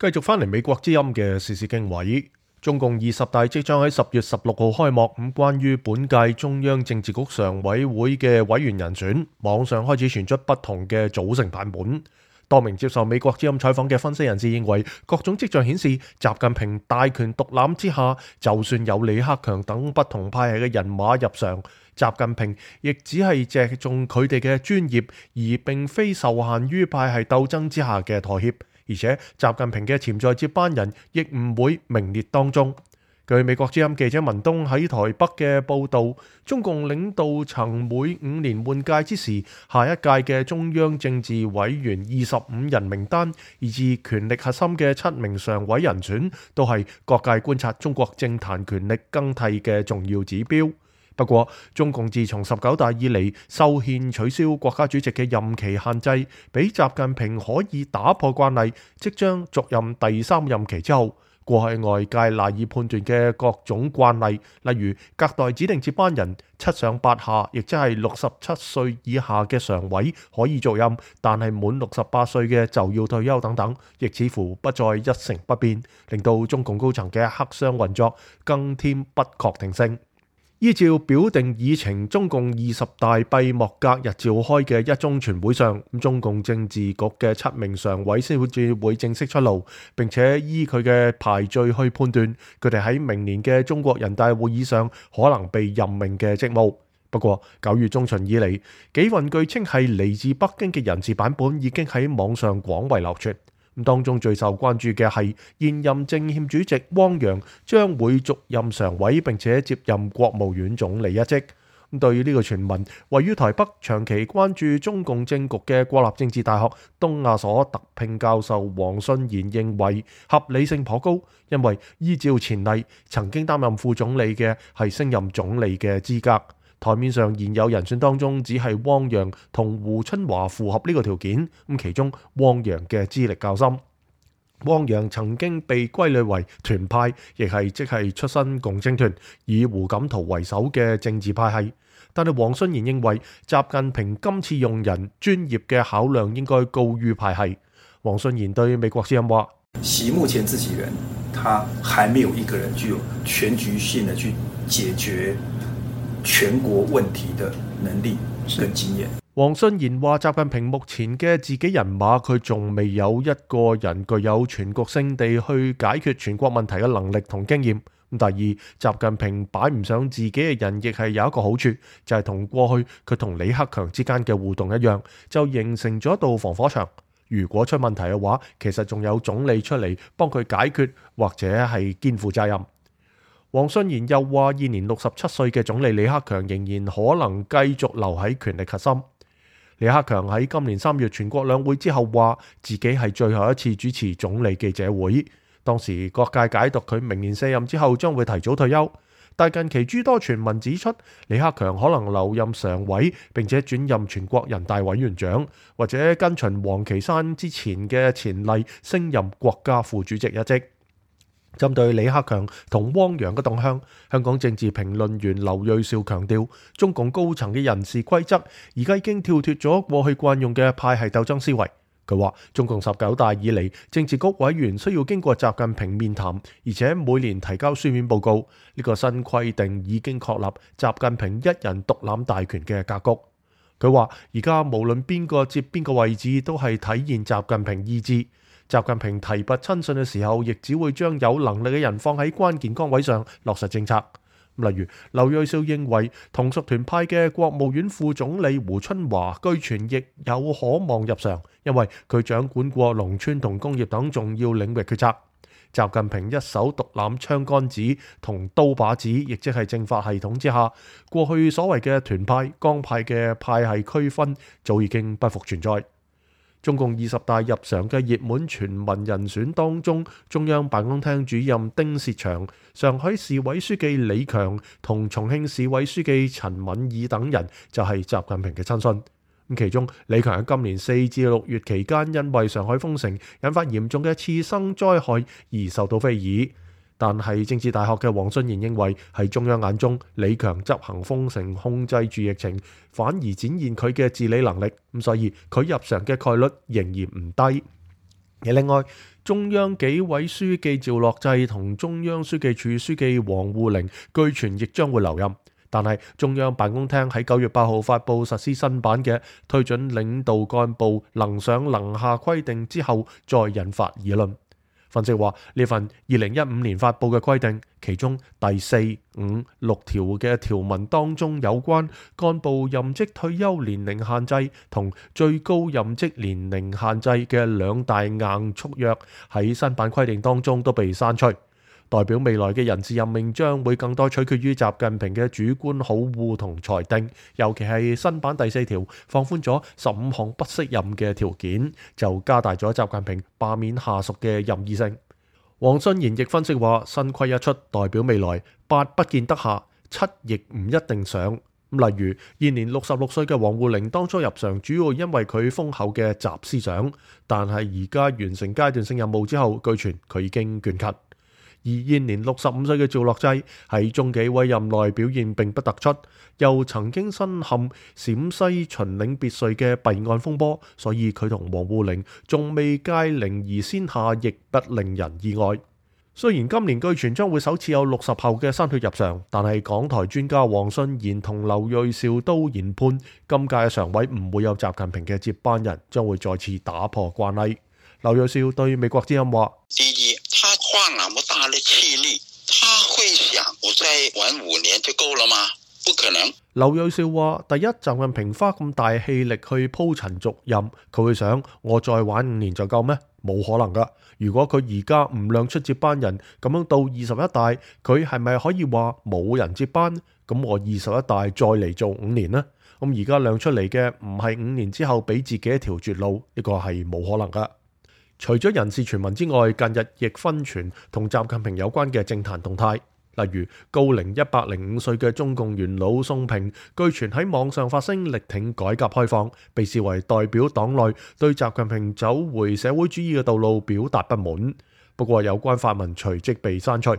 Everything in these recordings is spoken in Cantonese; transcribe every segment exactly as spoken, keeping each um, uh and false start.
繼續翻嚟美國之音嘅時事經緯，中共二十大即將喺十月十六號開幕。咁關於本屆中央政治局常委會嘅委員人選，網上開始傳出不同嘅組成版本。多名接受美國之音採訪嘅分析人士認為，各種跡象顯示，習近平大權獨攬之下，就算有李克強等不同派系嘅人馬入常，習近平亦只係借重佢哋嘅專業，而並非受限於派系鬥爭之下嘅妥協。而且習近平嘅潛在接班人亦唔會名列當中。據美國之音記者文東喺台北嘅報導，中共領導層每五年換屆之時，下一屆嘅中央政治委員二十五人名單，以至權力核心嘅七名常委人選，都係各界觀察中國政壇權力更替嘅重要指標。不過，中共自從十九大以嚟修憲取消國家主席嘅任期限制，俾習近平可以打破慣例，即將續任第三任期之後，過去外界賴以判斷嘅各種慣例，例如隔代指定接班人、七上八下，亦即係六十七歲以下嘅常委可以續任，但係滿六十八歲嘅就要退休等等，亦似乎不再一成不變，令到中共高層嘅黑箱運作更添不確定性。依照表定議程，中共二十大閉幕隔日召開嘅一中全會上，中共政治局嘅七名常委先至會正式出爐，並且依佢嘅排序去判斷佢哋喺明年嘅中國人大會議上可能被任命嘅職務。不過九月中旬以嚟，幾份據稱係嚟自北京嘅人事版本已經喺網上廣為流傳。當中最受關注嘅係現任政協主席汪洋將會續任常委，並且接任國務院總理一職。對於呢個傳聞，位於台北長期關注中共政局嘅國立政治大學東亞所特聘教授黃信賢認為合理性頗高，因為依照前例，曾經擔任副總理嘅係升任總理嘅資格。台面上現有人選當中，只係汪洋同胡春華符合呢個條件。咁其中汪洋嘅資歷較深，汪洋曾經被歸類為團派，亦係即係出身共青團，以胡錦濤為首嘅政治派系。但係黃信賢認為，習近平今次用人專業嘅考量應該高於派系。黃信賢對美國之音話：席目前自己人，他還沒有一個人具有全局性的去解決全國問題的能力跟經驗。黃信賢話：習近平目前嘅自己人馬，佢仲未有一個人具有全局性地去解決全國問題嘅能力同經驗。第二，習近平擺唔上自己嘅人，亦係有一個好處，就係同過去佢同李克強之間嘅互動一樣，就形成咗一道防火牆。如果出問題嘅話，其實仲有總理出嚟幫佢解決，或者係肩負責任。黃信賢又話，現年六十七歲嘅總理李克強仍然可能繼續留喺權力核心。李克強喺今年三月全國兩會之後話，自己係最後一次主持總理記者會。當時各界解讀佢明年卸任之後將會提早退休，但近期諸多傳聞指出，李克強可能留任常委，並且轉任全國人大委員長，或者跟隨王岐山之前嘅前例，升任國家副主席一職。針對李克強同汪洋嘅動向，香港政治評論員劉銳紹強調，中共高層嘅人事規則而家已經跳脫咗過去慣用嘅派系鬥爭思維。佢話，中共十九大以嚟，政治局委員需要經過習近平面談，而且每年提交書面報告。呢個新規定已經確立習近平一人獨攬大權嘅格局。佢話，而家無論邊個接邊個位置，都係體現習近平意志。習近平提拔親信嘅時候，亦只會將有能力嘅人放喺關鍵崗位上落實政策。例如，劉銳紹認為同屬團派嘅國務院副總理胡春華據傳亦有可望入常，因為佢掌管過農村同工業等重要領域決策。習近平一手獨攬槍桿子同刀把子，亦即係政法系統之下，過去所謂嘅團派、江派嘅派系區分早已經不復存在。中共二十大入常嘅熱門傳聞人選當中，中央辦公廳主任丁薛祥、上海市委書記李強同重慶市委書記陳敏爾等人就係習近平嘅親信。其中李強喺今年四至六月期間，因為上海封城引發嚴重嘅次生災害而受到非議。但係政治大學嘅黃信賢認為，喺中央眼中，李強執行封城控制住疫情，反而展現佢嘅治理能力，咁所以佢入常嘅概率仍然唔低。而另外，中央紀委書記趙樂際同中央書記處書記王滬寧據傳亦將會留任。但係中央辦公廳喺九月八號發布實施新版嘅推準領導幹部能上能下規定之後，再引發議論。分析話，呢份二零一五年發布嘅規定，其中第四、五、六條嘅條文當中有關幹部任職退休年齡限制同最高任職年齡限制嘅兩大硬束約喺新版規定當中都被刪除。代表未來嘅人事任命將會更多取決於習近平嘅主觀好惡同裁定，尤其係新版第四條放寬咗十五項不適任嘅條件，就加大咗習近平罷免下屬嘅任意性。黃信賢亦分析話，新規一出，代表未來八不見得下，七亦唔一定上。例如現年六十六歲嘅王滬寧當初入常，主要因為佢豐厚嘅習思想，但係而家完成階段性任務之後，據傳佢已經倦勤。而現年六十五歲嘅趙樂際喺中紀委任內表現並不突出，又曾經身陷陝西秦嶺別墅嘅弊案風波，所以佢同王滬寧仲未屆齡而先下，亦不令人意外。雖然今年據傳將會首次有六十後嘅新血入常，但係港台專家黃信賢同劉銳紹都研判，今屆嘅常委唔會有習近平嘅接班人，將會再次打破慣例。劉銳紹對美國之音話：第一，他花那麼大的氣力，他會想我再玩五年就夠了嗎？不可能。劉銳紹話：第一，習近平花咁大氣力去鋪陳續任，佢會想我再玩五年就夠咩？冇可能噶。如果佢而家唔亮出接班人，咁樣到二十一大，佢係咪可以話冇人接班？咁我二十一大再嚟做五年呢？咁而家亮出嚟嘅唔係五年之後俾自己一條絕路，呢個係冇可能噶。除咗人事傳聞之外，近日亦紛傳同習近平有關嘅政壇動態，例如高齡一百零五歲嘅中共元老宋平，據傳喺網上發聲力挺改革開放，被視為代表黨內對習近平走回社會主義嘅道路表達不滿。不過有關發文隨即被刪除。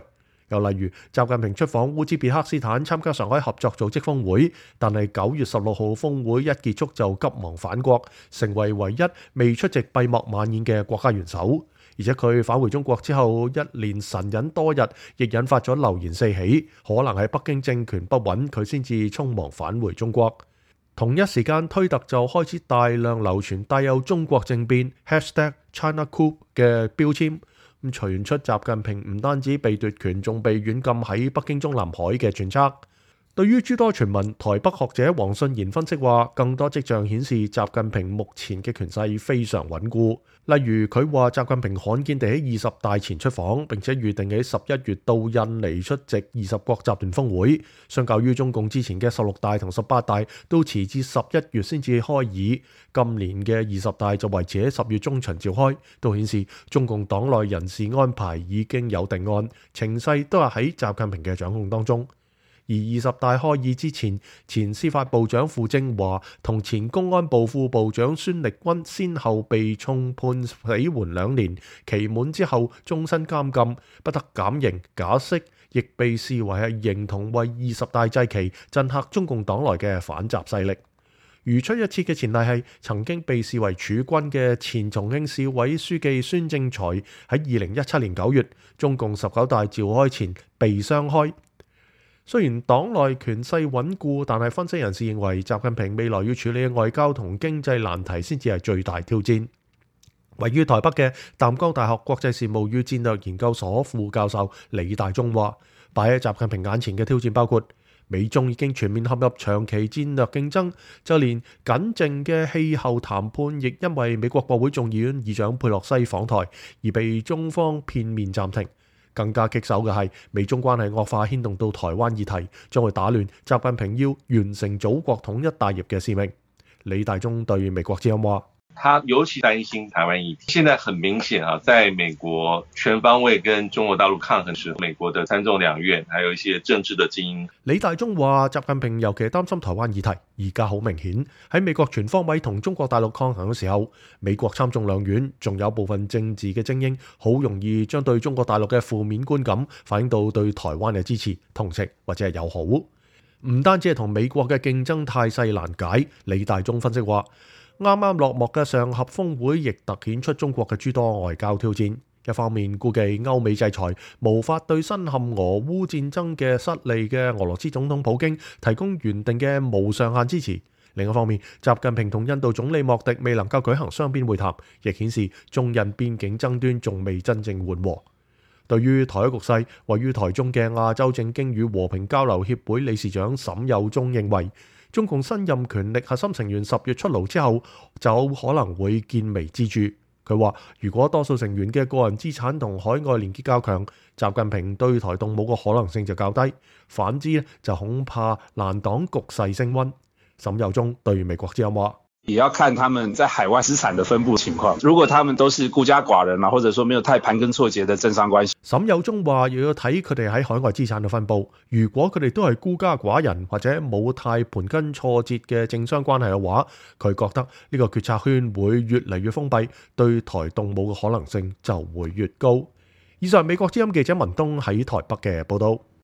又例如習近平出訪烏茲別克斯坦參加上海合作組織峰會，但係九月十六號峰會一結束就急忙返國，成為唯一未出席閉幕晚宴嘅國家元首。而且佢返回中國之後一連神隱多日，亦引發咗流言四起，可能係北京政權不穩，佢先至匆忙返回中國。同一時間，推特就開始大量流傳帶有中國政變 hashtag China Coup 嘅標籤。咁傳出習近平唔單止被奪權，仲被軟禁喺北京中南海嘅揣測。對於諸多傳聞，台北學者黃信賢分析話，更多跡象顯示習近平目前嘅權勢非常穩固。例如佢話習近平罕見地喺二十大前出訪，並且預定喺十一月到印尼出席二十國集團峰會，相較於中共之前嘅十六大同十八大都遲至十一月先至開議，今年嘅二十大就維持喺十月中旬召開，都顯示中共黨內人事安排已經有定案，情勢都係喺習近平嘅掌控當中。而二十大開議之前，前司法部長傅政華同前公安部副部長孫力軍先後被重判死緩兩年，期滿之後終身監禁，不得減刑假釋，亦被視為係認同為二十大祭旗，震嚇中共黨內嘅反習勢力。如出一轍嘅前例係曾經被視為儲君嘅前重慶市委書記孫政才喺二零一七年九月中共十九大召開前被雙開。雖然黨內權勢穩固，但係分析人士認為習近平未來要處理嘅外交同經濟難題先至係最大挑戰。位於台北嘅淡江大學國際事務與戰略研究所副教授李大中話，擺喺習近平眼前嘅挑戰包括美中已經全面陷入長期戰略競爭，就連僅剩嘅氣候談判亦因為美國國會眾議院議長佩洛西訪台而被中方片面暫停。更加棘手嘅係美中關係惡化牽動到台灣議題，將會打亂習近平要完成祖國統一大業嘅使命。李大中對美國之音話：他尤其擔心台灣議題。現在很明顯啊，在美國全方位跟中國大陸抗衡時，美國的參眾兩院，還有一些政治的精英。李大中話：習近平尤其擔心台灣議題，而家好明顯喺美國全方位同中國大陸抗衡嘅時候，美國參眾兩院仲有部分政治嘅精英，好容易將對中國大陸嘅負面觀感反映到對台灣嘅支持、同情或者係友好。唔單止係同美國嘅競爭態勢難解，李大中分析話：啱啱落幕嘅上合峰會亦突顯出中國嘅諸多外交挑戰。一方面估計歐美制裁無法對身陷俄烏戰爭嘅失利嘅俄羅斯總統普京提供原定嘅無上限支持。另一方面，習近平同印度總理莫迪未能夠舉行雙邊會談，亦顯示中印邊境爭端仲未真正緩和。對於台海局勢，位於台中嘅亞洲政經與和平交流協會理事長沈有忠認為，中共新任權力核心成員十月出爐之後，就可能會見微知著。佢話：如果多數成員嘅個人資產同海外連結較強，習近平對台動武嘅可能性就較低；反之就恐怕難擋局勢升溫。沈有忠對美國之音話：也要看他們在海外資產的分布情況。如果他們都是孤家寡人啊，或者說沒有太盤根錯節的政商關係。沈有忠話：又要睇佢哋喺海外資產嘅分布。如果佢哋都係孤家寡人或者冇太盤根錯節嘅政商關係嘅話，佢覺得呢個決策圈會越嚟越封閉，對台動武嘅可能性就會越高。以上美國之音記者文東喺台北嘅報道。